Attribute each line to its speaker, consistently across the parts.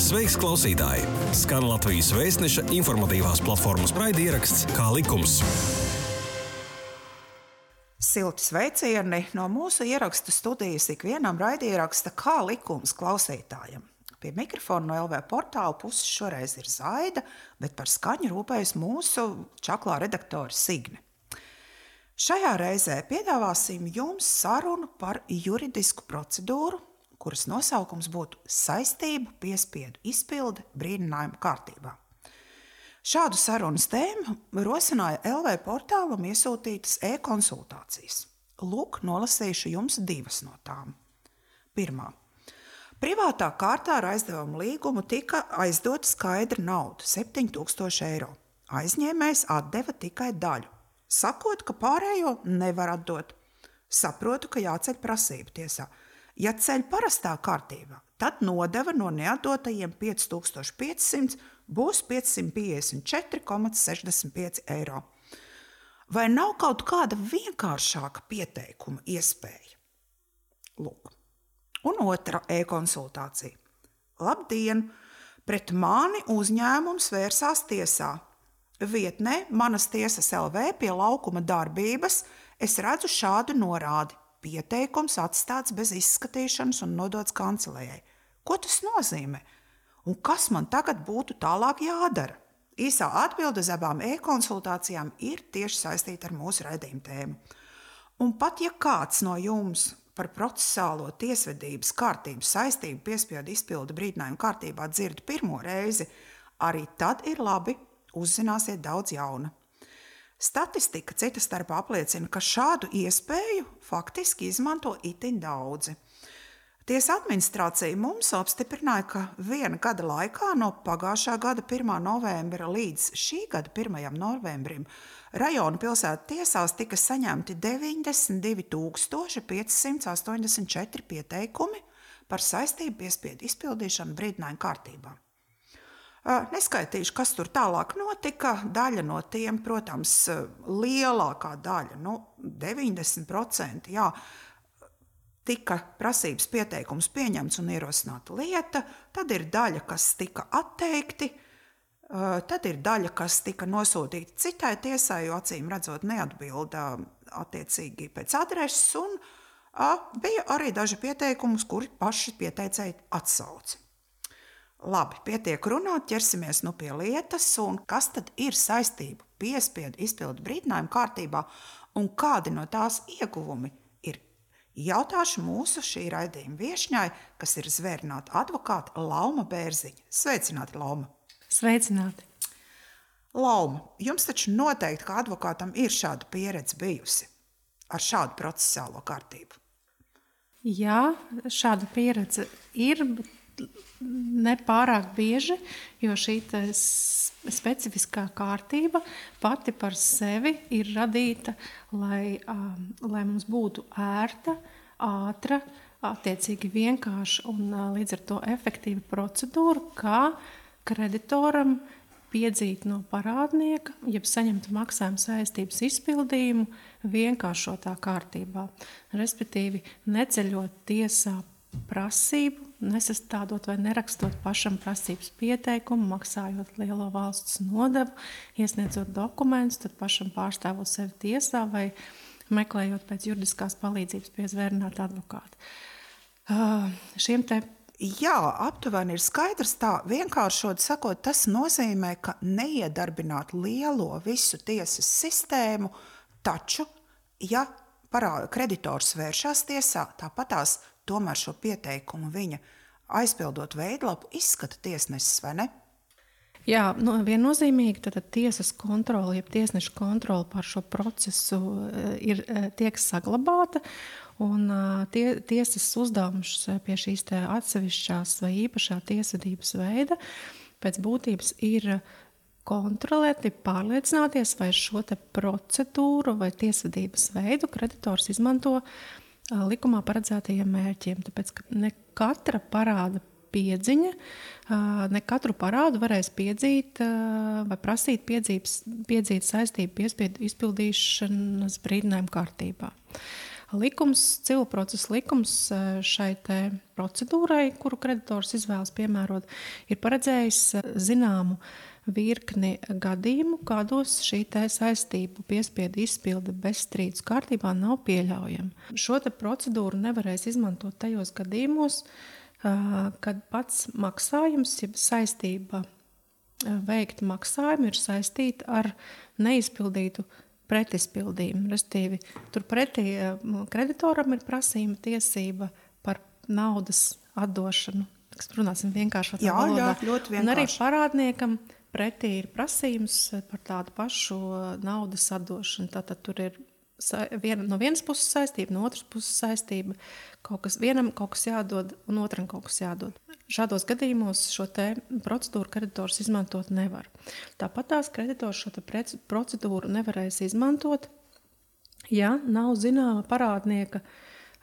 Speaker 1: Sveiks, klausītāji! Skan Latvijas Vēstneša informatīvās platformas raidieraksts Kā likums.
Speaker 2: Silti sveicieni no mūsu ierakstu studijas ikvienam raidieraksta Kā likums klausītājam. Pie mikrofona no LV portāla puses šoreiz ir Zaida, bet par skaņu rūpējas mūsu čaklā redaktora Signe. Šajā reizē piedāvāsim jums sarunu par juridisku procedūru, kuras nosaukums būtu saistību piespiedu izpilde brīdinājuma kārtībā. Šādu sarunas tēmu rosināja LV portālam iesūtītas e-konsultācijas. Lūk, nolasīšu jums divas no tām. Pirmā. Privātā kārtā ar aizdevumu līgumu tika aizdota skaidra nauda – 7000 eiro. Aizņēmējs atdeva tikai daļu, sakot, ka pārējo nevar atdot. Saprotu, ka jāceļ prasība tiesā. Ja ceļ parastā kārtībā, tad nodeva no neatdotajiem 5500 būs 554,65 eiro. Vai nav kaut kāda vienkāršāka pieteikuma iespēja? Lūk. Un otra e-konsultācija. Labdien! Pret mani uzņēmums vērsās tiesā. Vietnē Manas tiesas LV pie laukuma darbības es redzu šādu norādi. Pieteikums atstāts bez izskatīšanas un nodots kancelējai. Ko tas nozīmē? Un kas man tagad būtu tālāk jādara? Īsā atbilde uz abām e-konsultācijām ir tieši saistīta ar mūsu raidījuma tēmu. Un pat ja kāds no jums par procesālo tiesvedības kārtību saistību piespiedu izpildi brīdinājuma kārtībā dzird pirmo reizi, arī tad ir labi, uzzināsiet daudz jauna. Statistika cita starpā apliecina, ka šādu iespēju faktiski izmanto itin daudzi. Tiesa administrācija mums apstiprināja, ka viena gada laikā no pagājušā gada 1. novembra līdz šī gada 1. novembrim rajona pilsētu tiesās tika saņemti 92,584 pieteikumi par saistību piespiedu izpildīšanu brīdinājuma kārtībā. Neskaitīšu, kas tur tālāk notika. Daļa no tiem, protams, lielākā daļa, 90%, jā, tika prasības pieteikums pieņemts un ierosināta lieta, tad ir daļa, kas tika atteikti, tad ir daļa, kas tika nosūtīta citai tiesai, jo acīm redzot neatbilda attiecīgi pēc adreses, un bija arī daži pieteikumus, kuri paši pieteicēji atsauca. Labi, pietiek runāt, ķersimies pie lietas, un kas tad ir saistību piespiedu izpildu brīdinājuma kārtībā, un kādi no tās ieguvumi ir? Jautāšu mūsu šī raidījuma viešņai, kas ir zvērināta advokāta Lauma Bērziņa. Sveicināti, Lauma!
Speaker 3: Sveicināti!
Speaker 2: Lauma, jums taču noteikti kā advokātam ir šāda pieredze bijusi ar šādu procesālo kārtību.
Speaker 3: Jā, šāda pieredze ir, bet nepārāk bieži, jo šī specifiskā kārtība pati par sevi ir radīta, lai mums būtu ērta, ātra, attiecīgi vienkārša un līdz ar to efektīva procedūra, kā kreditoram piedzīt no parādnieka, jeb saņemt maksājuma saistības izpildījumu vienkāršotā kārtībā. Respektīvi, neceļot tiesā prasību, nesastādot vai nerakstot pašam prasības pieteikumu, maksājot lielo valsts nodevu, iesniedzot dokumentus, tad pašam pārstāvot sevi tiesā vai meklējot pēc juridiskās palīdzības pie zvērināta advokāta.
Speaker 2: Jā, aptuveni ir skaidrs tā, vienkāršot sakot, tas nozīmē, ka neiedarbināt lielo visu tiesas sistēmu, taču, ja kreditors vēršās tiesā, tāpatās tomēr šo pieteikumu viņa aizpildot veidlapu izskata tiesnesis, vai ne?
Speaker 3: Jā, viennozīmīgi tad tiesas kontrole, jeb tiesneša kontrole par šo procesu tiek saglabāta, un tiesas uzdevums pie šīs atsevišķās vai īpašā tiesvedības veida pēc būtības ir kontrolēt, pārliecināties, vai šo procedūru vai tiesvedības veidu kreditors izmanto likumā paredzētajiem mērķiem, tāpēc, ka ne katra parāda piedziņa, ne katru parādu varēs piedzīt vai prasīt piedzīt saistību piespiedu izpildīšanas brīdinājuma kārtībā. Civil procesa likums šai te procedūrai, kuru kreditors izvēlas piemērot, ir paredzējis zināmu virkni gadījumu, kādos šī te saistību piespiedu izpilde bez strīdus kārtībā nav pieļaujama. Šo te procedūru nevarēs izmantot tajos gadījumos, kad pats maksājums, ja saistība veikta maksājumu ir saistīta ar neizpildītu pretizpildījumu. Restīvi, turpretī kreditoram ir prasījuma tiesība par naudas atdošanu. Runāsim vienkāršotā valodā.
Speaker 2: Jā, ļoti vienkārši.
Speaker 3: Un arī parādniekam pretī ir prasījums par tādu pašu naudas atdošanu. Tātad tur ir no vienas puses saistība, no otras puses saistība. Vienam kaut kas jādod un otram kaut kas jādod. Šādos gadījumos šo te procedūru kreditors izmantot nevar. Tāpat tās kreditors šo te procedūru nevarēs izmantot, ja nav zināma parādnieka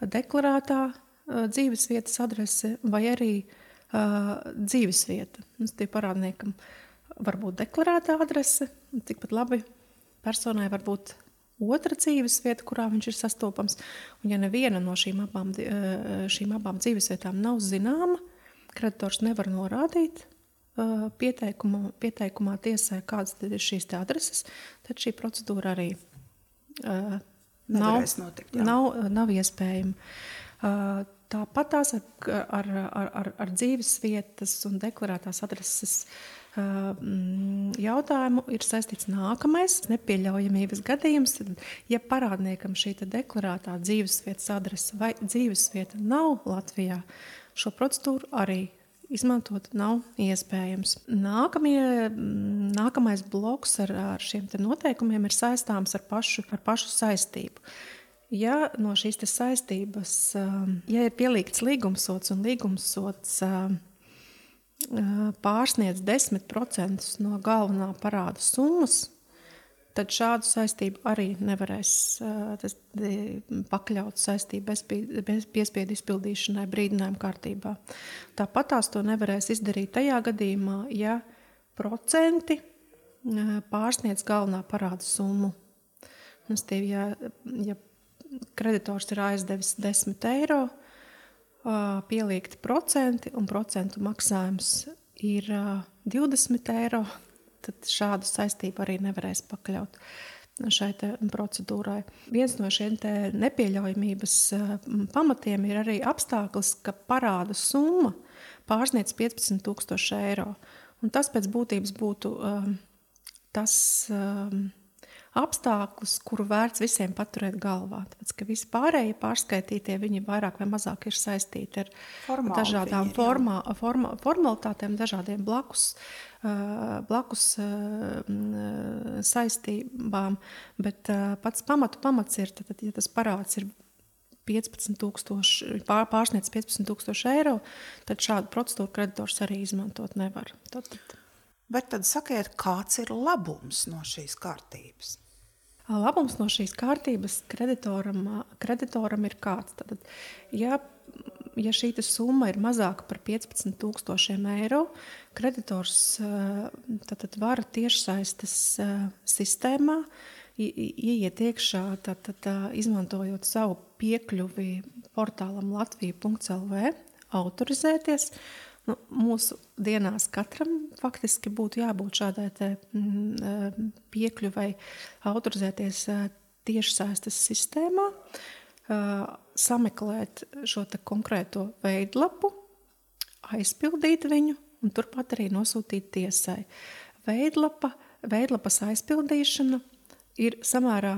Speaker 3: deklarētā dzīvesvietas adrese vai arī dzīvesvieta. Tie parādniekam var būt deklarētā adrese, tikpat labi personai var būt otra dzīvesvieta, kurā viņš ir sastopams. Un ja neviena no šīm abām dzīvesvietām nav zināma, kreditors nevar norādīt pieteikumā tiesai, kādas tad ir šīs adreses, tad šī procedūra arī nav iespējama. Tāpat tās ar dzīvesvietas un deklarētās adreses jautājumu ir saistīts nākamais nepieļaujamības gadījums. Ja parādniekam šī deklarētā dzīvesvietas adrese vai dzīvesvieta nav Latvijā, šo procedūru arī izmantot nav iespējams. Nākamais bloks ar šiem te noteikumiem ir saistāms ar pašu saistību. Ja no šīs te saistības, ja ir pielīgts līgumsots un līgumsots pārsniedz 10% no galvenā parāda summas, tad šādu saistību arī nevarēs pakļaut saistību bez piespiedu izpildīšanai brīdinājuma kārtībā. Tāpat tās to nevarēs izdarīt tajā gadījumā, ja procenti pārsniedz galvenā parāda summu. Ja kreditors ir aizdevis 10 eiro, pieliekti procenti un procentu maksājums ir 20 eiro, tad šādu saistību arī nevarēs pakļaut šai procedūrai. Viens no šiem nepieļaujamības pamatiem ir arī apstākļus, ka parāda summa pārsniedz 15,000 eiro. Un tas pēc būtības būtu tas apstākļus, kuru vērts visiem paturēt galvā. Tāpēc, ka visi pārējie pārskaitītie, viņi vairāk vai mazāk ir saistīti ar dažādām formalitātēm, dažādiem blakus saistībām, bet pats pamats ir, tad, ja tas parāds ir 15,000, pārsniedz 15,000 eiro, tad šādu procedūru kreditors arī izmantot nevar.
Speaker 2: Bet tad sakiet, kāds ir labums no šīs kārtības?
Speaker 3: Labums no šīs kārtības kreditoram ir kāds. Tad, ja šī summa ir mazāka par 15,000 eiro, kreditors tad var tiešsaistes sistēmā ieiet iekšā, izmantojot savu piekļuvi portālam latvija.lv, autorizēties. Mūsu dienās katram faktiski būtu jābūt šādai piekļuvai autorizēties tiešsaistes sistēmā, sameklēt šo konkrēto veidlapu, aizpildīt viņu un turpat arī nosūtīt tiesai. Veidlapas aizpildīšana ir samērā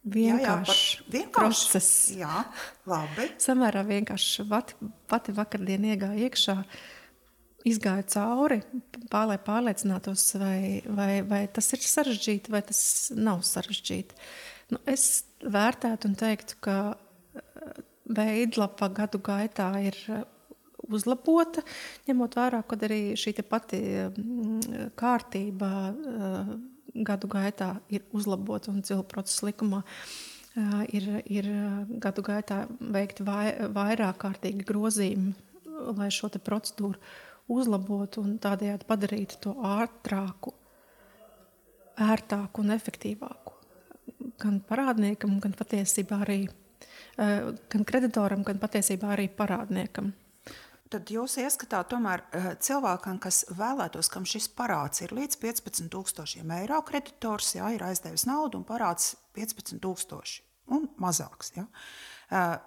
Speaker 3: vienkāršs process.
Speaker 2: Jā, labi.
Speaker 3: Samērā vienkārši pati vakardien iegāja iekšā, izgāja cauri, lai pārliecinātos, vai tas ir sarežģīti, vai tas nav sarežģīti. Es vērtētu un teiktu, ka veidlapa gadu gaitā ir uzlabota, ņemot vērā, kad arī šī pati kārtība gadu gaitā ir uzlabota un civil procesa likumā ir gadu gaitā veikti vairāk kārtīgi grozījumi, lai šo te procedūru uzlabotu un tādējādi padarītu to ātrāku, ērtāku un efektīvāku. Gan parādniekam, gan patiesībā arī gan kreditoram, gan patiesībā arī parādniekam.
Speaker 2: Tad jūs ieskatāt tomēr cilvēkam, kas vēlētos, kam šis parāds ir līdz 15 000 eiro, kreditors ir aizdevis naudu un parāds 15 000 un mazāks. Ja?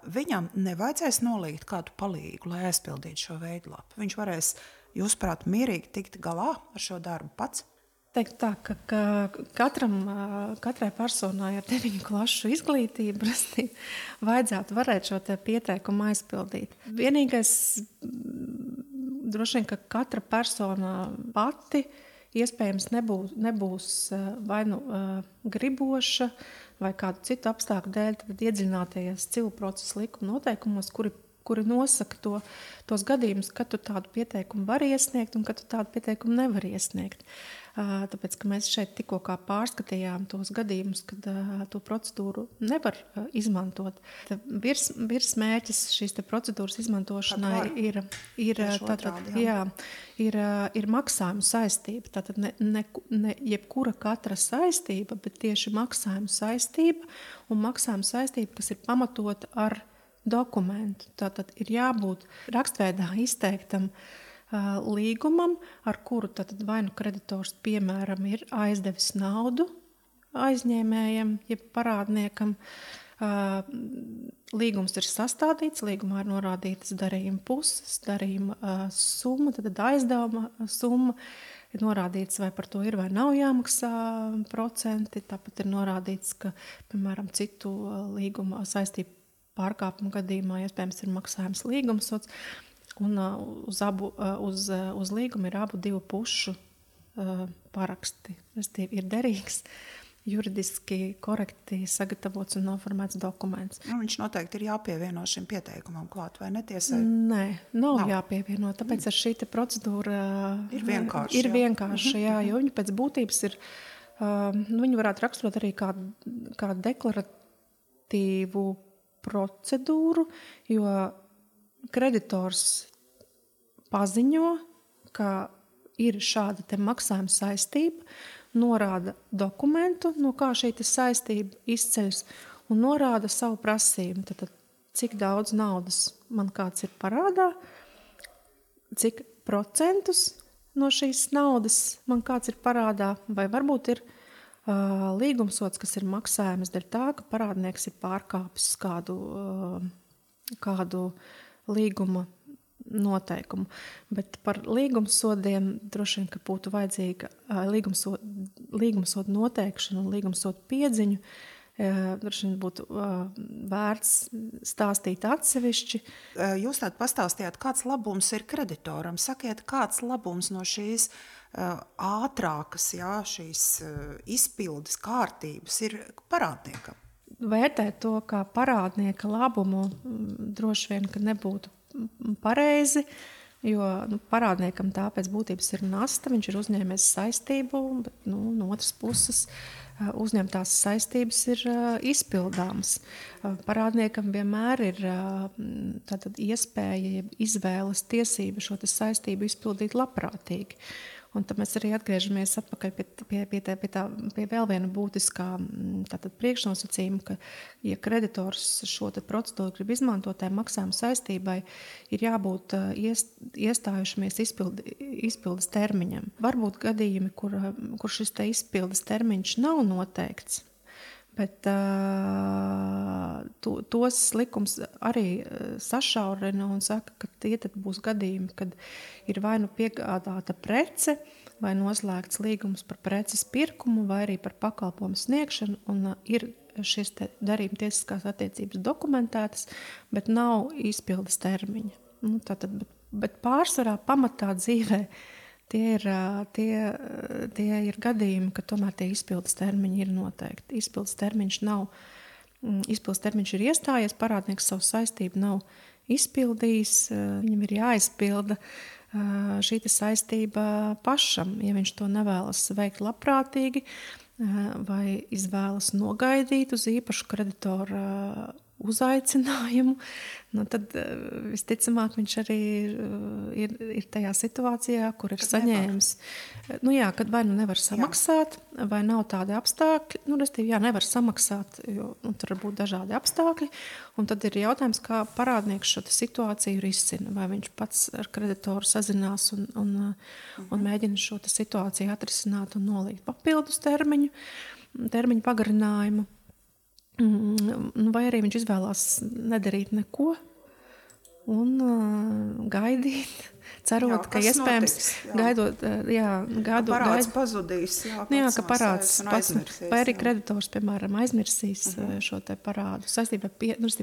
Speaker 2: Viņam nevajadzēs nolīgt kādu palīgu, lai aizpildītu šo veidlapu. Viņš varēs, jūsuprāt, mierīgi tikt galā ar šo darbu pats?
Speaker 3: Teikt tā, ka katrai personai ar 9 klašu izglītību vajadzētu varēt šo te pieteikumu aizpildīt. Vienīgais droši vien, ka katra persona pati iespējams nebūs vai nu griboša vai kādu citu apstākļu dēļ, tad iedziļināties civilu procesa likuma noteikumos, kuri nosaka tos gadījumus, kad tu tādu pieteikumu vari iesniegt un kad tu tādu pieteikumu nevari iesniegt. Tāpēc, ka mēs šeit tikko kā pārskatījām tos gadījumus, kad to procedūru nevar izmantot. Virsmērķis šīs te procedūras izmantošanai ir maksājuma saistība. Tātad ne jebkura katra saistība, bet tieši maksājuma saistība un maksājuma saistība, kas ir pamatota ar dokumentu. Tātad ir jābūt rakstveidā izteiktam līgumam, ar kuru tātad vai nu kreditors, piemēram, ir aizdevis naudu aizņēmējam, jeb parādniekam. Līgums ir sastādīts, līgumā ir norādītas darījuma puses, darījuma summa, tad aizdevuma summa. Ir norādīts, vai par to ir vai nav jāmaksā procenti. Tāpat ir norādīts, ka, piemēram, citu līguma saistību pārkāpumu gadījumā iespējams ir maksājums līgumsots. Un uz līgumu ir abu divu pušu paraksti. Ir derīgs, juridiski korekti sagatavots un noformēts dokuments.
Speaker 2: Viņš noteikti ir jāpievieno šim pieteikumam klāt, vai netiesai?
Speaker 3: Nē, nav jāpievieno. Tāpēc ar šī procedūra
Speaker 2: ir vienkārša.
Speaker 3: Jā, jo viņa pēc būtības ir, viņu varētu raksturot arī kā deklaratīvu procedūru, jo kreditors paziņo, ka ir šāda te maksājuma saistība, norāda dokumentu, no kā šī saistība izceļas, un norāda savu prasību. Tad, cik daudz naudas man kāds ir parādā, cik procentus no šīs naudas man kāds ir parādā, vai varbūt ir līgumsots, kas ir maksājums dēļ tā, ka parādnieks ir pārkāpis kādu līguma noteikumu. Bet par līgumsodiem droši vien, ka būtu vajadzīga līgumsodu noteikšana un līgumsodu piedziņu. Droši vien būtu vērts stāstīt atsevišķi.
Speaker 2: Jūs tādu pastāstījāt, kāds labums ir kreditoram. Sakiet, kāds labums no šīs ātrākas, šīs izpildes kārtības ir parādniekam?
Speaker 3: Vērtēt to kā parādnieka labumu droši vien, ka nebūtu pareizi, jo parādniekam tā pēc būtības ir nasta, viņš ir uzņēmies saistību, bet no otras puses uzņemtās saistības ir izpildāmas. Parādniekam vienmēr ir tātad iespēja, izvēles tiesība šo saistību izpildīt labprātīgi. Un tad mēs arī atgriežamies atpakaļ pie vēl viena būtiskā priekšnosacījuma, ka, ja kreditors šo procedūru grib izmantot, tai maksājuma saistībai ir jābūt iestājušamies izpildes termiņam. Varbūt gadījumi, kur šis izpildes termiņš nav noteikts, bet tos likums arī sašaurina un saka, ka tie tad būs gadījumi, kad ir vai nu piegādāta prece, vai noslēgts līgums par preces pirkumu, vai arī par pakalpojumu sniegšanu, un ir šis darījuma tiesiskās attiecības dokumentētas, bet nav izpildes termiņa. Bet pārsvarā pamatā dzīvē tie ir gadījumi, ka tomēr tie izpildes termiņi ir noteikti. Izpildes termiņš ir iestājies, parādnieks savu saistību nav izpildījis, viņam ir jāizpilda šī saistība pašam, ja viņš to nevēlas veikt labprātīgi vai izvēlas nogaidīt uz īpašu kreditoru uzaicinājumu, tad visticamāk viņš arī ir tajā situācijā, kur ir saņēmis. Kad vai nevar samaksāt, vai nav tādi apstākļi, restīvi, nevar samaksāt, jo tur var būt dažādi apstākļi, un tad ir jautājums, kā parādnieks šo situāciju risina, vai viņš pats ar kreditoru sazinās un mēģina šo situāciju atrisināt un nolikt papildus termiņu pagarinājumu. Vai arī viņš izvēlās nedarīt neko un gaidīt, cerot, ka iespējams
Speaker 2: parāds pazudīs,
Speaker 3: ka parāds pats, vai arī kreditors, piemēram, aizmirsīs šo te parādu, saistībā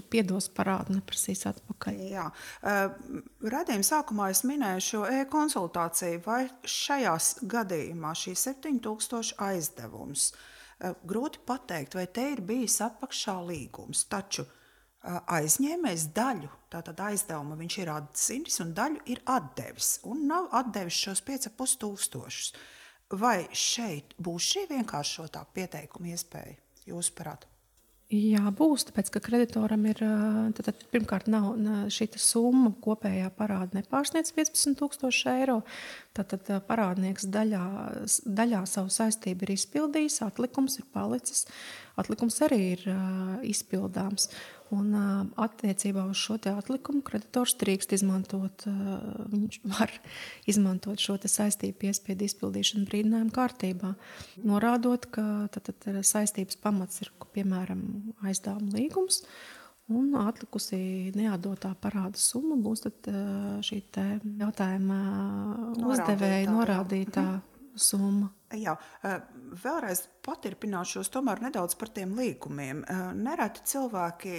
Speaker 3: piedos parādu, neprasīs atpakaļ.
Speaker 2: Jā. Radījuma sākumā es minēju šo e-konsultāciju, vai šajās gadījumā šī 7000 aizdevums. Grūti pateikt, vai te ir bijis apakšā līgums, taču aizņēmējs daļu, tātad aizdevumu viņš ir atzinis un daļu ir atdevis un nav atdevis šos 5500. Vai šeit būs šī vienkāršotā pieteikuma iespēja, jūsuprāt?
Speaker 3: Jā, būs, tāpēc, ka kreditoram ir, tad pirmkārt nav šī summa kopējā parāda nepārsniedz 15,000 eiro, tad parādnieks daļā savu saistību ir izpildījis, atlikums ir palicis, atlikums arī ir izpildāms. Un attiecībā uz šo te atlikumu kreditors drīkst izmantot, viņš var izmantot šo te saistību piespiedu izpildīšanu brīdinājumu kārtībā, norādot, ka tad saistības pamats ir, piemēram, aizdevuma līgums, un atlikusi neatdotā parāda summa būs tad šī te jautājuma uzdevēja norādītā summa.
Speaker 2: Jā, vēlreiz paturpināšos tomēr nedaudz par tiem līgumiem. Nereti cilvēki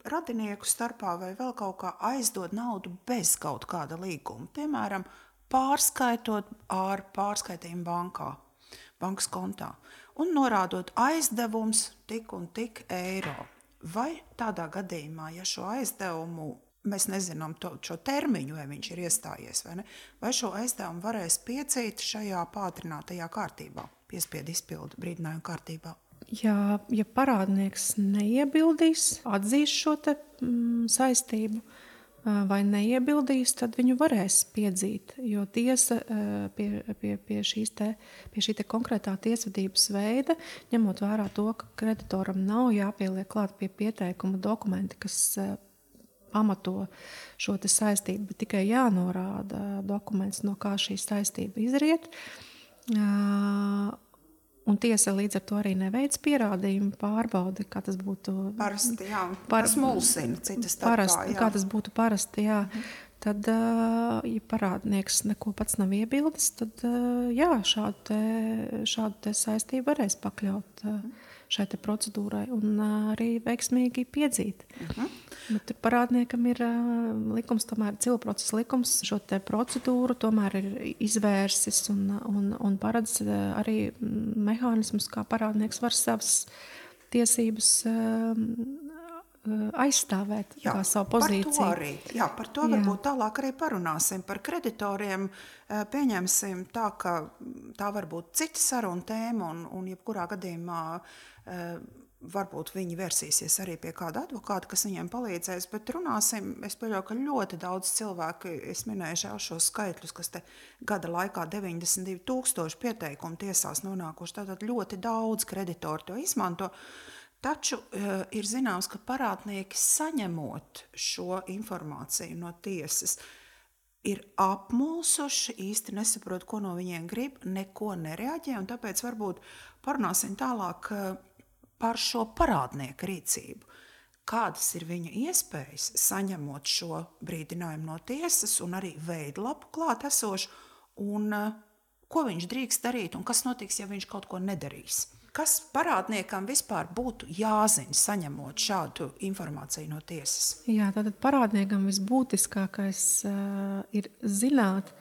Speaker 2: radinieku starpā vai vēl kaut kā aizdod naudu bez kaut kāda līguma. Piemēram, pārskaitot ar pārskaitījumu bankas kontā un norādot aizdevums tik un tik eiro. Vai tādā gadījumā, ja šo aizdevumu mēs nezinām šo termiņu, vai viņš ir iestājies, vai ne? Vai šo aizdevumu varēs piecīt šajā pātrinātajā kārtībā, piespiedu izpildu brīdinājumu kārtībā?
Speaker 3: Ja parādnieks neiebildīs, atzīs šo te saistību vai neiebildīs, tad viņu varēs piedzīt, jo tiesa pie šī te konkrētā tiesvedības veida, ņemot vērā to, ka kreditoram nav jāpieliek klāt pie pieteikuma dokumenti, kas pamato šo te saistību, bet tikai jānorāda dokuments, no kā šī saistība izriet. Un tiesa līdz ar to arī neveic pierādījumu pārbaudi, kā tas būtu
Speaker 2: parasti, tas mulsina citas starpā.
Speaker 3: Kā tas būtu parasti, Tad, ja parādnieks neko pats nav iebildis, tad šādu te saistību varēs pakļaut šai te procedūrai un arī veiksmīgi piedzīt. Bet parādniekam ir likums, tomēr cilvēkprocesa likums, šo te procedūru tomēr ir izvērsis un paredz arī mehānismus, kā parādnieks var savas tiesības aizstāvēt savu pozīciju.
Speaker 2: Par to varbūt tālāk arī parunāsim. Par kreditoriem pieņemsim tā, ka tā var būt cita saruna tēma un jebkurā gadījumā varbūt viņi versīsies arī pie kāda advokāta, kas viņiem palīdzēs, bet runāsim, es pieļauju, ka ļoti daudz cilvēku, es minēju šos skaitļus, kas te gada laikā 92,000 pieteikumu tiesās nonākuši, tātad ļoti daudz kreditori to izmanto. Taču ir zināms, ka parādnieki saņemot šo informāciju no tiesas, ir apmulsuši, īsti nesaprot, ko no viņiem grib, neko nereaģē, un tāpēc varbūt parunāsim tālāk par šo parādnieku rīcību. Kādas ir viņa iespējas saņemot šo brīdinājumu no tiesas un arī veidlapu klāt esošu, un ko viņš drīkst darīt un kas notiks, ja viņš kaut ko nedarīs? Kas parādniekam vispār būtu jāzina, saņemot šādu informāciju no tiesas?
Speaker 3: Tātad parādniekam visbūtiskākais ir zināt,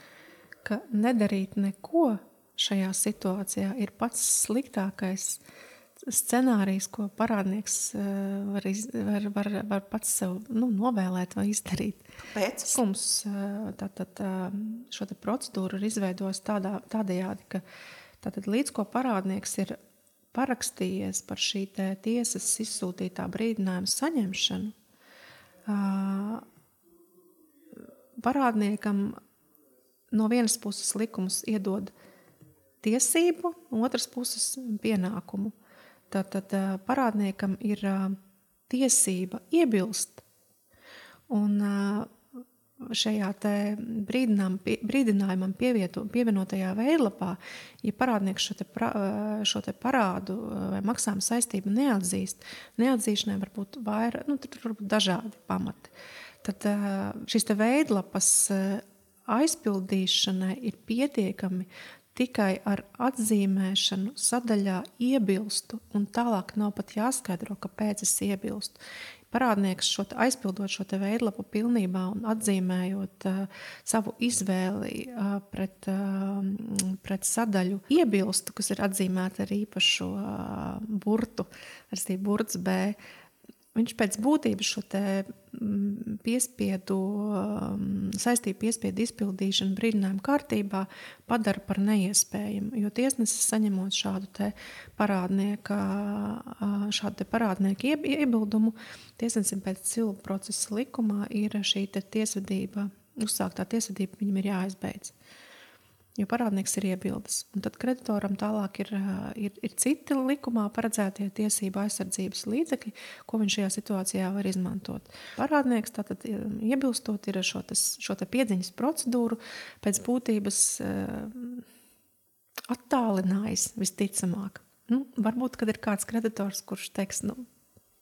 Speaker 3: ka nedarīt neko šajā situācijā ir pats sliktākais scenārijs, ko parādnieks var pats sev novēlēt vai izdarīt.
Speaker 2: Pēc?
Speaker 3: Mums šo te procedūru ir izveidojis tādējādi, ka tātad līdz ko parādnieks ir parakstījies par šī tiesas izsūtītā brīdinājuma saņemšanu, parādniekam no vienas puses likums iedod tiesību, otras puses pienākumu. Tātad parādniekam ir tiesība iebilst. Un šajā brīdinājumam pievienotajā veidlapā, ja parādnieks šo te parādu vai maksājuma saistību neatzīšanai var būt dažādi pamati. Tad šis te veidlapas aizpildīšanai ir pietiekami tikai ar atzīmēšanu sadaļā iebilstu, un tālāk nav pat jāskaidro, kāpēc es iebilstu. Parādnieks aizpildot šo te veidlapu pilnībā un atzīmējot savu izvēli pret sadaļu iebilstu, kas ir atzīmēta ar īpašu burtu, ar burts B, viņš pēc būtības šo te saistību piespiedu izpildīšanu brīdinājumu kārtībā padara par neiespējamu, jo tiesnesis saņemot šādu te parādnieku iebildumu, tiesnesim pēc civilu procesa likumā ir šī te tiesvedība, uzsāktā tiesvedība viņam ir jāizbeidz. Jo parādnieks ir iebildes. Un tad kreditoram tālāk ir citi likumā paredzētie tiesību aizsardzības līdzekļi, ko viņš šajā situācijā var izmantot. Parādnieks tātad iebilstot ir šo te piedziņas procedūru pēc būtības attālinājis visticamāk. Varbūt, kad ir kāds kreditors, kurš teiks,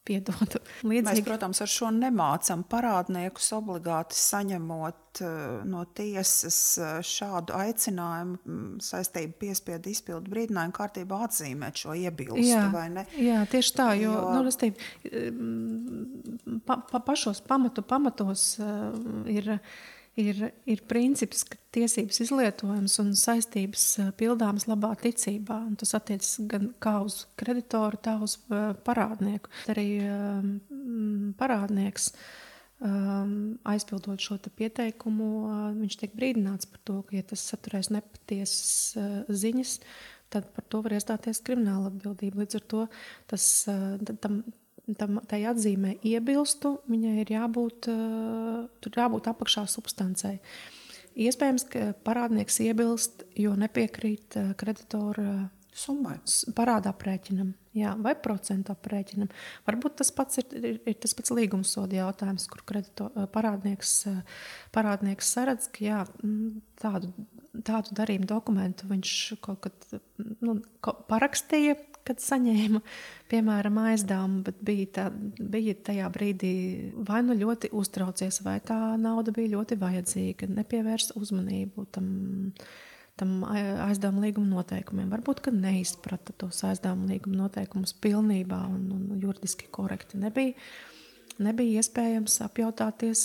Speaker 3: piedodu.
Speaker 2: Mēs, protams, ar šo nemācam parādniekus obligāti saņemot no tiesas šādu aicinājumu saistību piespiedu izpildu brīdinājumu kārtībā atzīmēt šo iebilstu, vai ne?
Speaker 3: Jā, tieši tā, jo pašos pamatos ir princips, ka tiesības izlietojums un saistības pildāmas labā ticībā. Un tas attiecas gan kā uz kreditoru, tā uz parādnieku. Arī parādnieks aizpildot šo te pieteikumu, viņš tiek brīdināts par to, ka, ja tas saturēs nepatiesas ziņas, tad par to var iestāties krimināla atbildība. Līdz ar to tai atzīmē iebilstu, viņai ir jābūt apakšā substancei. Iespējams, ka parādnieks iebilst, jo nepiekrīt kreditora
Speaker 2: summai,
Speaker 3: parāda aprēķinam, vai procentu aprēķinam. Varbūt tas pats ir tas pats līgumsoda jautājums, kur parādnieks saredz, ka tādu darījumu dokumentu viņš kaut kad parakstīja, kad saņēma, piemēram, aizdevumu, bet bija tajā brīdī vai ļoti uztraucies, vai tā nauda bija ļoti vajadzīga, nepievērsa uzmanību tam aizdevuma līguma noteikumiem. Varbūt, ka neizprata tos aizdevuma līguma noteikumus pilnībā un juridiski korekti. Nebija iespējams apjautāties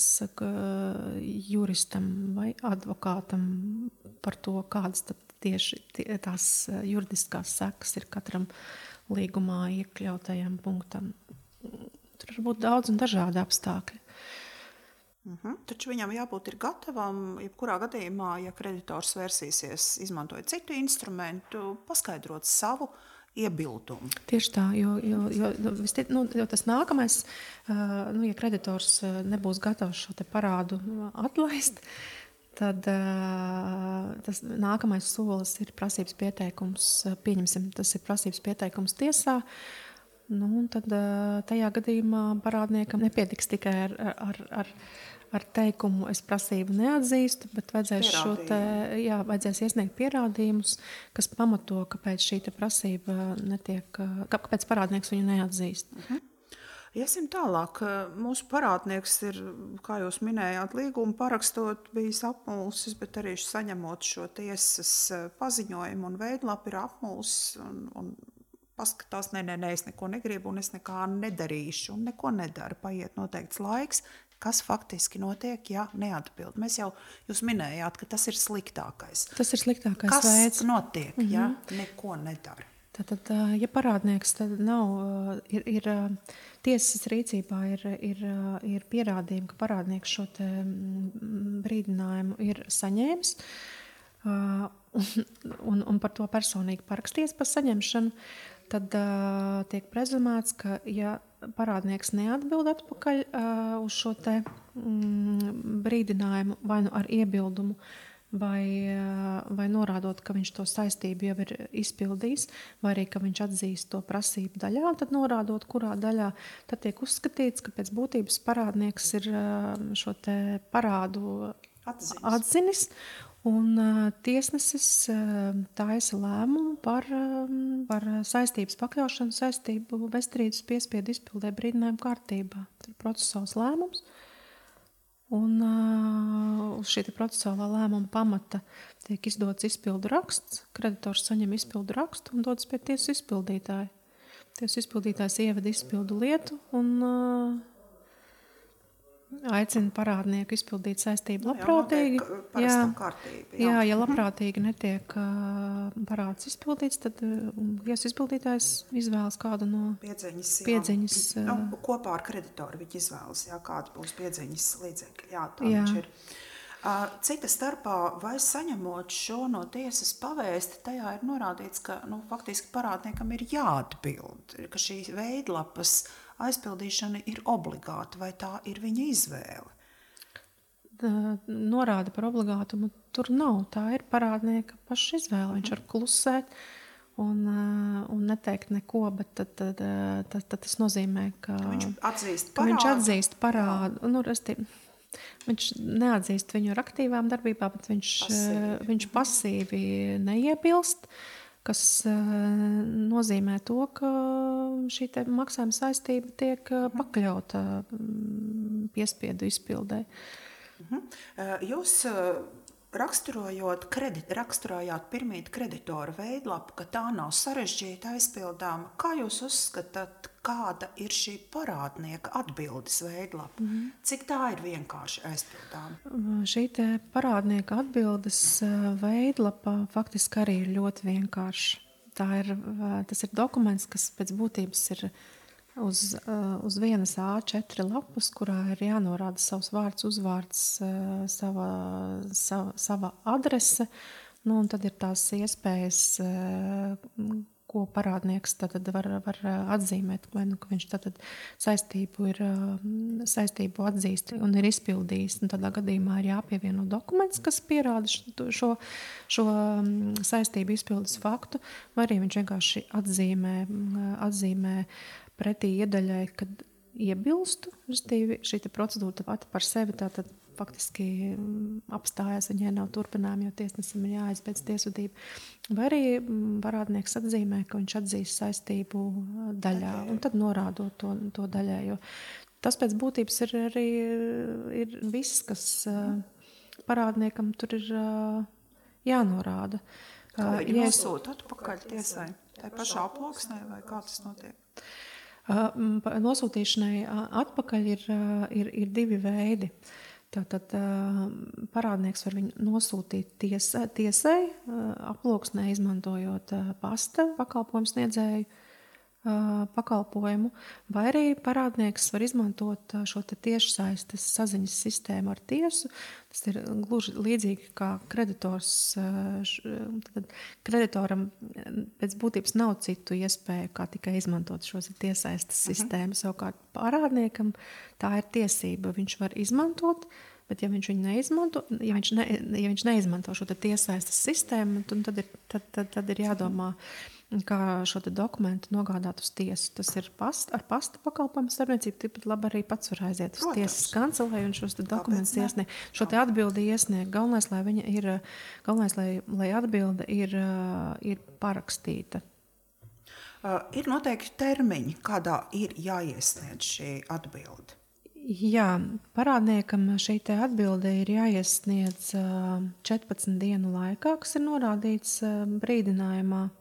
Speaker 3: juristam vai advokātam par to, kādas tad tieši tās juridiskās sekas ir katram līgumā iekļautajam punktam. Tur var būt daudz un dažādi apstākļi.
Speaker 2: Taču viņam jābūt ir gatavam, jebkurā gadījumā, ja kreditors vērsīsies, izmantojot citu instrumentu, paskaidrot savu iebildumu.
Speaker 3: Tieši tā, jo tas nākamais, ja kreditors nebūs gatavs šo te parādu atlaist, tad tas nākamais solis ir prasības pieteikums, pieņemsim, tas ir prasības pieteikums tiesā, tad tajā gadījumā parādniekam nepietiks tikai ar teikumu es prasību neatzīstu, bet vajadzēs iesniegt pierādījumus, kas pamato, kāpēc šī te prasība kāpēc parādnieks viņu neatzīst.
Speaker 2: Iesim tālāk. Mūsu parādnieks ir, kā jūs minējāt, līgumu parakstot bijis apmulsis, bet arī saņemot šo tiesas paziņojumu un veidlapu ir apmulsis un paskatās, es neko negribu un es nekā nedarīšu un neko nedara. Paiet noteikts laiks, kas faktiski notiek, ja neatbild. Jūs minējāt, ka tas ir sliktākais.
Speaker 3: Tas ir sliktākais veids.
Speaker 2: Kas notiek, ja neko nedara?
Speaker 3: Tātad, ja parādnieks tad nav, ir tiesas rīcībā ir pierādījumi, ka parādnieks šo te brīdinājumu ir saņēmis un par to personīgi parakstījies par saņemšanu, tad tiek prezumēts, ka ja parādnieks neatbild atpakaļ uz šo te brīdinājumu vai nu ar iebildumu, vai norādot, ka viņš to saistību jau ir izpildījis, vai arī, ka viņš atzīst to prasību daļā, tad norādot, kurā daļā, tad tiek uzskatīts, ka pēc būtības parādnieks ir šo te parādu atzinis, un tiesnesis taisa lēmumu par saistības pakļaušanu, saistību bezstrīdus piespiedu izpildē brīdinājumu kārtībā. Tas ir procesāls lēmums. Un uz šī procesuālā lēmuma pamata tiek izdots izpildu raksts, kreditors saņem izpildu rakstu un dodas pie tiesu izpildītāja. Tiesu izpildītājs ievada izpildu lietu un aicina parādnieku izpildīt saistību labprātīgi. Ja labprātīgi netiek parāds izpildīts, tad tiesu izpildītājs izvēlas kādu no piedzeņas.
Speaker 2: Kopā ar kreditoru viņi izvēlas, kāda būs piedzeņas līdzekļi. Tā viņš ir. Cita starpā, vai saņemot šo no tiesas pavēsti, tajā ir norādīts, ka faktiski parādniekam ir jāatbild, ka šī veidlapas aizpildīšana ir obligāta, vai tā ir viņa izvēle?
Speaker 3: Norāda par obligātumu tur nav. Tā ir parādnieka paša izvēle. Viņš var klusēt un neteikt neko, bet tad tas nozīmē, ka
Speaker 2: viņš atzīst
Speaker 3: parādu. Viņš neatzīst viņu ar aktīvām darbībām, bet viņš pasīvi neiebilst, kas nozīmē to, ka šī te maksājuma saistība tiek pakļauta piespiedu izpildē.
Speaker 2: Jūs raksturojāt pirmīt kreditora veidlapu, ka tā nav sarežģīta aizpildāma. Kā jūs uzskatāt, kāda ir šī parādnieka atbildes veidlapa? Cik tā ir vienkārši aizpildāma?
Speaker 3: Šī te parādnieka atbildes veidlapa faktiski arī ir ļoti vienkārši. Tas ir dokuments, kas pēc būtības ir uz vienas A4 lapas, kurā ir jānorāda savs vārds, uzvārds, sava adrese, un tad ir tās iespējas, ko parādnieks tad var atzīmēt, vai ka viņš tad saistību atzīst un ir izpildījis. Un tādā gadījumā ir jāpievieno dokuments, kas pierāda šo saistību izpildes faktu, vai arī viņš vienkārši atzīmē pretī iedaļai, kad iebilstu, šī procedūra pati par sevi tātad faktiski apstājās, viņai nav turpinājumi, jo tiesnesim ir jāaizbeidz tiesvedība. Vai arī parādnieks atzīmē, ka viņš atzīst saistību daļā, un tad norādot to daļējo. Tas pēc būtības ir arī viss, kas parādniekam tur ir jānorāda.
Speaker 2: Kā viņi nosūta atpakaļ tiesai? Tā pašā aploksnē vai kā tas notiek?
Speaker 3: Nosūtīšanai atpakaļ ir divi veidi. Tātad parādnieks var viņu nosūtīt tiesai, aploksnē izmantojot pasta pakalpojumu sniedzēju pakalpojumu, vai arī parādnieks var izmantot šo tiešsaistes saziņas sistēmu ar tiesu. Tas ir gluži līdzīgi kā kreditors. Kreditoram pēc būtības nav citu iespēju, kā tikai izmantot šos tiešsaistes sistēmu. Savukārt parādniekam tā ir tiesība. Viņš var izmantot, bet ja viņš viņu neizmanto, ja viņš neizmanto šo tiešsaistes sistēmu, tad ir jādomā, kā šo dokumentu nogādāt uz tiesu. Tas ir ar pasta pakalpojumu starpniecību, tāpat labi arī pats var aiziet uz tiesas kancelei un šos dokumentus iesniegt. Šo atbildi iesniegt. Galvenais, lai atbilde ir parakstīta.
Speaker 2: Ir noteikti termiņi, kādā ir jāiesniedz šī atbilde.
Speaker 3: Jā, parādniekam šī atbilde ir jāiesniedz 14 dienu laikā, kas ir norādīts brīdinājumā.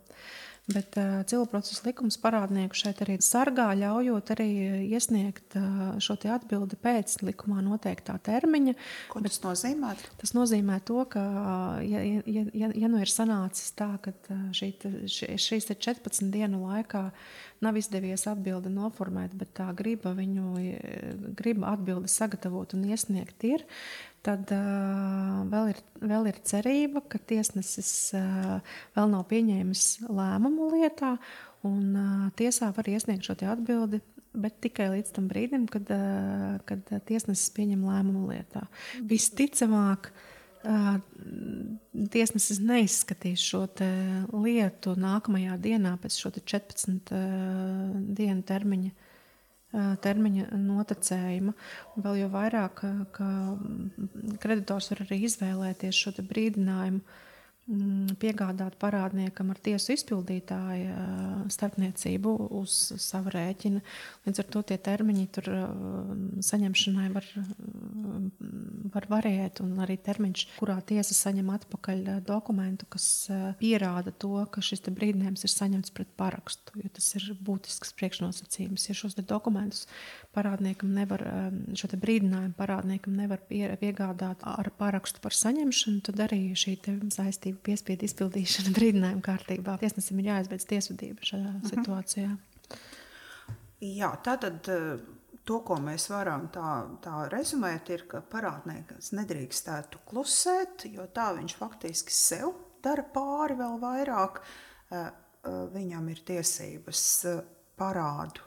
Speaker 3: Bet civilprocesa likums parādnieku šeit arī sargā, ļaujot arī iesniegt šo atbildi pēc likumā noteiktā termiņa.
Speaker 2: Ko tas nozīmē?
Speaker 3: Tas nozīmē to, ka ja nu ir sanācis tā, ka šīs 14 dienu laikā nav izdevies atbildi noformēt, bet tā griba atbildi sagatavot un iesniegt ir, tad vēl ir cerība, ka tiesnesis vēl nav pieņēmis lēmumu lietā, un tiesā var iesniegt šo te atbildi, bet tikai līdz tam brīdim, kad tiesnesis pieņem lēmumu lietā. Visticamāk, tiesnesis neizskatīs šo te lietu nākamajā dienā pēc šo te 14 dienu termiņa notecējuma. Un vēl jau vairāk, ka kreditors var arī izvēlēties šo te brīdinājumu piegādāt parādniekam ar tiesu izpildītāja starpniecību uz savu rēķinu. Līdz ar to tie termiņi tur saņemšanai var variēt, un arī termiņš, kurā tiesa saņem atpakaļ dokumentu, kas pierāda to, ka šis te brīdinājums ir saņemts pret parakstu, jo tas ir būtisks priekšnosacījums. Ja šos te dokumentus parādniekam nevar, šo te brīdinājumu parādniekam nevar piegādāt ar parakstu par saņemšanu, tad arī šī te saistība piespiedu izpildīšana brīdinājuma kārtībā. Tiesnesim ir jāizbeidz tiesvedība šajā situācijā.
Speaker 2: Jā, tātad to, ko mēs varam tā rezumēt, ir, ka parādnieks nedrīkstētu klusēt, jo tā viņš faktiski sev dara pāri vēl vairāk. Viņam ir tiesības parādu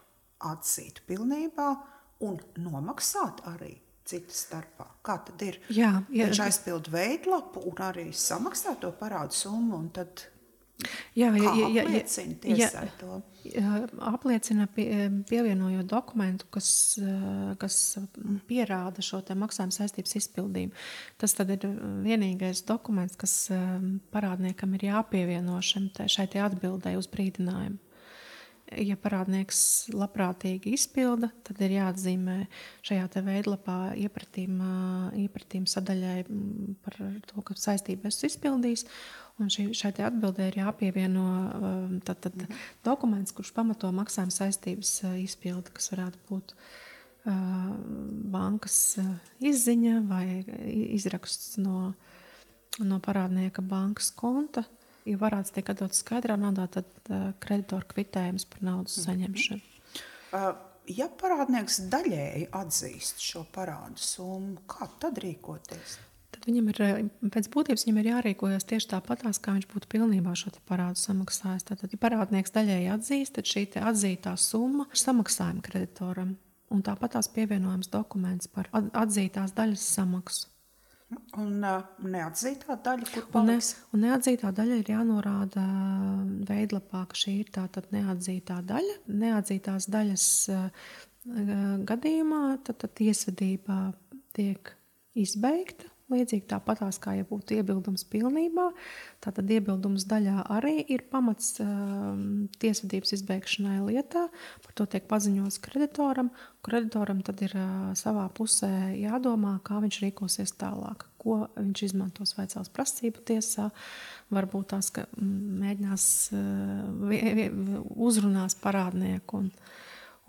Speaker 2: atzīt pilnībā un nomaksāt arī citu starpā. Kā tad ir?
Speaker 3: Jā,
Speaker 2: viņš aizpild veidlapu un arī samaksā to parādu summu, un tad apliecina tiesai to?
Speaker 3: Apliecina pievienojot dokumentu, kas pierāda šo te maksājuma saistības izpildījumu. Tas tad ir vienīgais dokuments, kas parādniekam ir jāpievieno šai te atbildē uz brīdinājumu. Ja parādnieks labprātīgi izpilda, tad ir jāatzīmē šajā te veidlapā iepratīm sadaļai par to, ka saistību esmu izpildījis, un šai te atbildē ir jāpievieno tad dokuments, kurš pamato maksājuma saistības izpildi, kas varētu būt bankas izziņa vai izraksts no parādnieka bankas konta. Ja varāds tiek atdots skaidrā naudā, tad kreditoru kvitējums par naudas saņemšanu.
Speaker 2: Ja parādnieks daļēji atzīst šo parādu summu, kā tad rīkoties?
Speaker 3: Tad viņam ir, pēc būtības viņam ir jārīkojas tieši tāpatās, kā viņš būtu pilnībā šo te parādu samaksājis. Tātad, ja parādnieks daļēji atzīst, tad šī te atzītā summa ir samaksājuma kreditoram. Un tāpatās pievienojams dokuments par atzītās daļas samaksu.
Speaker 2: Un neatzītā daļa, kur paliks?
Speaker 3: Un neatzītā daļa ir jānorāda veidlapā, ka šī ir tātad neatzītā daļa. Neatzītās daļas gadījumā tad tiesvedība tiek izbeigta. Līdzīgi tāpatās, kā ja būtu iebildums pilnībā, tātad iebildums daļā arī ir pamats tiesvedības izbeigšanai lietā. Par to tiek paziņots kreditoram. Kreditoram tad ir savā pusē jādomā, kā viņš rīkosies tālāk, ko viņš izmantos, vai cels prasību tiesā, varbūt tās, ka mēģinās uzrunās parādnieku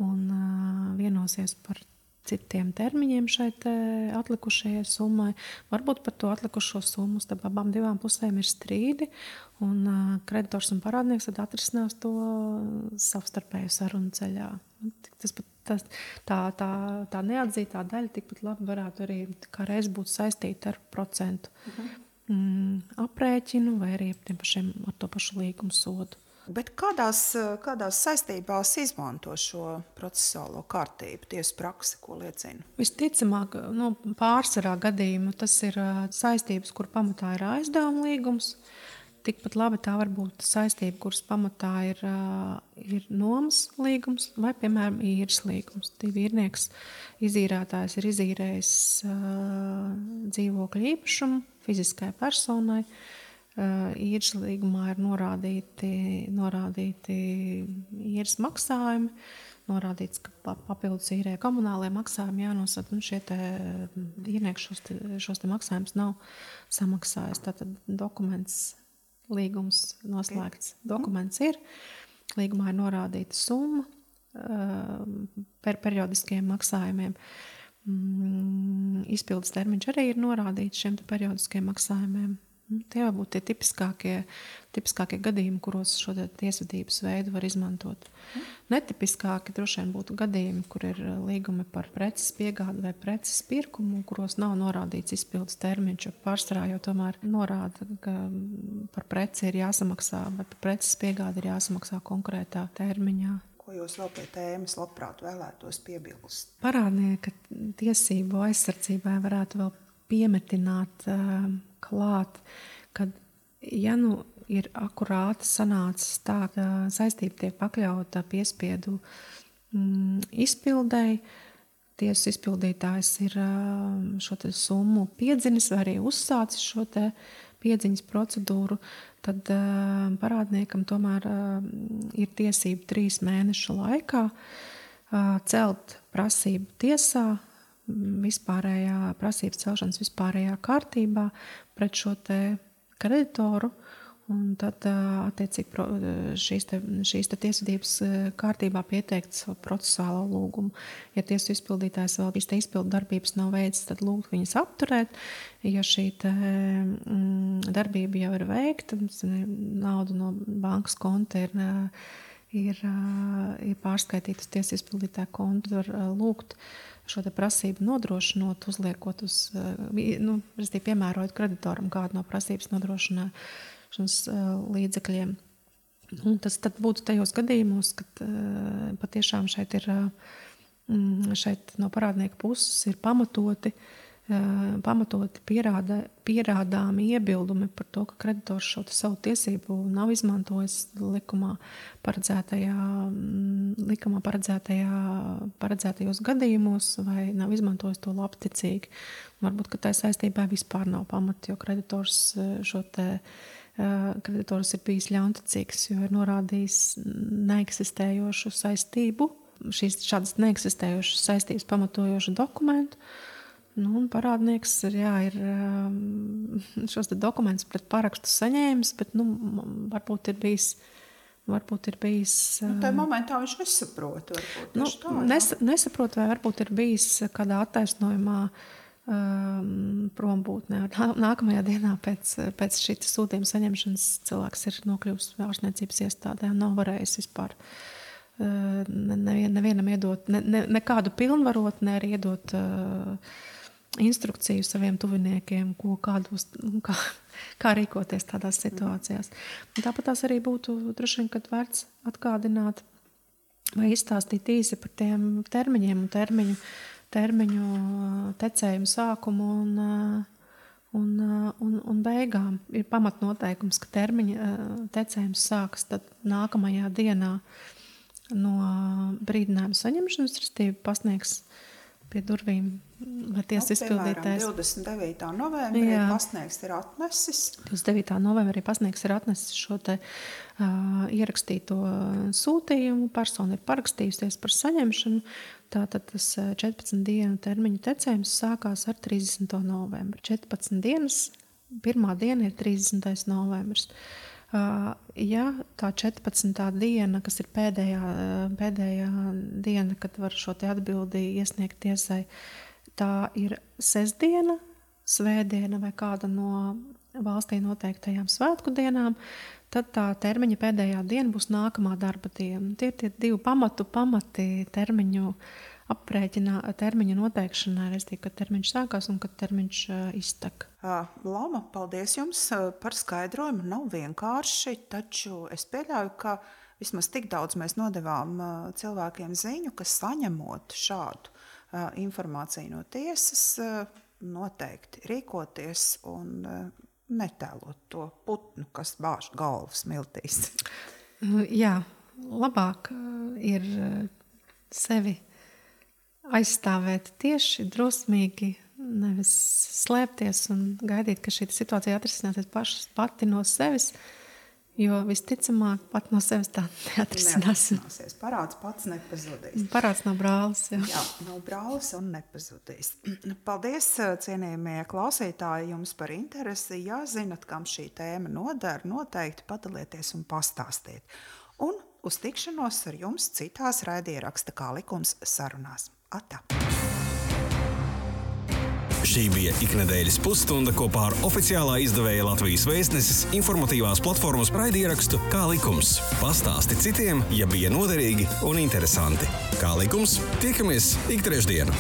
Speaker 3: un vienosies par citiem termiņiem šai atlikušajai summai. Varbūt par to atlikušo summu starp abām divām pusēm ir strīdi, un kreditors un parādnieks tad atrisinās to savstarpēju sarunu ceļā. Tā neatzītā daļa tikpat labi varētu arī kā reiz būt saistīta ar procentu aprēķinu vai arī ar to pašu līgumu sodu.
Speaker 2: Bet kādās saistībās izmanto šo procesuālo kārtību, tiesu praksi, ko liecina?
Speaker 3: Visticamāk, pārsvarā gadījumu tas ir saistības, kur pamatā ir aizdevuma līgums. Tikpat labi tā var būt saistība, kuras pamatā ir nomas līgums vai, piemēram, īres līgums. Īrnieks izīrētājs ir izīrējis dzīvokļu īpašumu fiziskai personai. Īres līgumā ir norādīti īres maksājumi, norādīts, ka papildus īrē komunālajie maksājumi jānosaka, un šie īrnieki šos te maksājumus nav samaksājis. Tātad dokuments, līgums noslēgts. Dokuments ir, līgumā ir norādīta summa periodiskiem maksājumiem. Izpildes termiņš arī ir norādīts šiem periodiskiem maksājumiem. Tie var būt tie tipiskākie gadījumi, kuros šo tiesvedības veidu var izmantot. Netipiskāki droši vien būtu gadījumi, kur ir līgumi par preces piegādi vai preces pirkumu, kuros nav norādīts izpildes termiņš. Pārsvarā jau tomēr norāda, ka par preci ir jāsamaksā, vai par preces piegādi ir jāsamaksā konkrētā termiņā.
Speaker 2: Ko jūs vēl pie tēmas labprāt vēlētos piebilst?
Speaker 3: Parādnieka tiesību aizsardzībai varētu vēl piemetināt klāt, kad ja ir akurāti sanācis tā, ka saistība tiek pakļauta piespiedu izpildēji, tiesas izpildītājs ir šo te summu piedzinis vai arī uzsācis šo te piedziņas procedūru, tad parādniekam tomēr ir tiesība 3 mēnešu laikā celt prasību tiesā, prasības celšanas vispārējā kārtībā pret šo te kreditoru, un tad attiecīgi šīs tiesvedības kārtībā pieteikt savu procesuālo lūgumu. Ja tiesu izpildītājs vēl šīs izpildu darbības nav veicis, tad lūgt viņas apturēt. Ja šī darbība jau ir veikta, nauda no bankas konta ir pārskaitīta uz tiesu izpildītāju kontu, var lūgt šo te prasību nodrošinot, uzliekot uz, piemērojot kreditoram kādu no prasības nodrošināšanas līdzekļiem. Un tas tad būtu tajos gadījumos, kad patiešām šeit no parādnieka puses ir pamatoti pierādāmi iebildumi par to, ka kreditors šo savu tiesību nav izmantojis likumā paredzētajos gadījumos vai nav izmantojis to labticīgi. Varbūt, ka tā saistībā vispār nav pamata, jo kreditors ir bijis ļaunticīgs, jo ir norādījis neeksistējošu saistību, šādas neeksistējošas saistības pamatojošu dokumentu. Un parādnieks ir šos dokumentus pret parakstu saņēmis, bet varbūt ir bijis.
Speaker 2: Tā momentā viņš nesaprot.
Speaker 3: Nesaprot, vai varbūt ir bijis kādā attaisnojumā prombūtnē. Nākamajā dienā pēc šī sūtījuma saņemšanas cilvēks ir nokļuvis ārstniecības iestādē un nav varējis vispār nevienam iedot nekādu pilnvarot, ne arī iedot instrukciju saviem tuviniekiem, kā rīkoties tādās situācijās. Un tāpat tās arī būtu droši vien, kad vērts atgādināt vai izstāstīt īsi par tiem termiņiem un termiņu tecējumu sākumu un beigām. Ir pamatnoteikums, ka termiņa tecējums sākas tad nākamajā dienā no brīdinājuma saņemšanas, restīvi pasniegs pie durvīm vai tiesas izpildītājs.
Speaker 2: 29. novembrī pasniegs ir atnesis.
Speaker 3: 29. novembrī pasniegs ir atnesis šo te ierakstīto sūtījumu. Persona ir parakstījusies par saņemšanu. Tātad tas 14 dienu termiņu tecējums sākās ar 30. novembri. 14 dienas, pirmā diena ir 30. novembris. Ja tā 14. diena, kas ir pēdējā diena, kad var šo te atbildi iesniegt tiesai, tā ir sestdiena, svētdiena vai kāda no valstī noteiktajām svētku dienām, tad tā termiņa pēdējā diena būs nākamā darba diena. Tie ir tie divi pamati termiņu termiņa noteikšanai, respektīvi, kad termiņš sākās un kad termiņš iztek.
Speaker 2: Lama, paldies jums par skaidrojumu. Nav vienkārši, taču es pieļauju, ka vismaz tik daudz mēs nodevām cilvēkiem ziņu, ka saņemot šādu informāciju no tiesas, noteikti rīkoties un netēlot to putnu, kas bāž galvas miltīs.
Speaker 3: Jā, labāk ir sevi aizstāvēt tieši drosmīgi, nevis slēpties un gaidīt, ka šī situācija atrisināsies pati no sevis, jo visticamāk pat no sevis tā neatrisināsies.
Speaker 2: Parāds pats nepazudīs.
Speaker 3: Parāds nav brālis.
Speaker 2: Jā, nav brālis un nepazudīs. Paldies, cienījamie klausītāji, jums par interesi. Ja zinat, kam šī tēma noder, noteikti padalieties un pastāstiet. Un uz tikšanos ar jums citās raidieraksta Kā likums sarunās. Atā!
Speaker 1: Šī bija iknedēļas pusstunda kopā ar oficiālā izdevēja Latvijas Vēstneses informatīvās platformas raidierakstu Kā likums. Pastāsti citiem, ja bija noderīgi un interesanti. Kā likums, tiekamies ik trešdienu.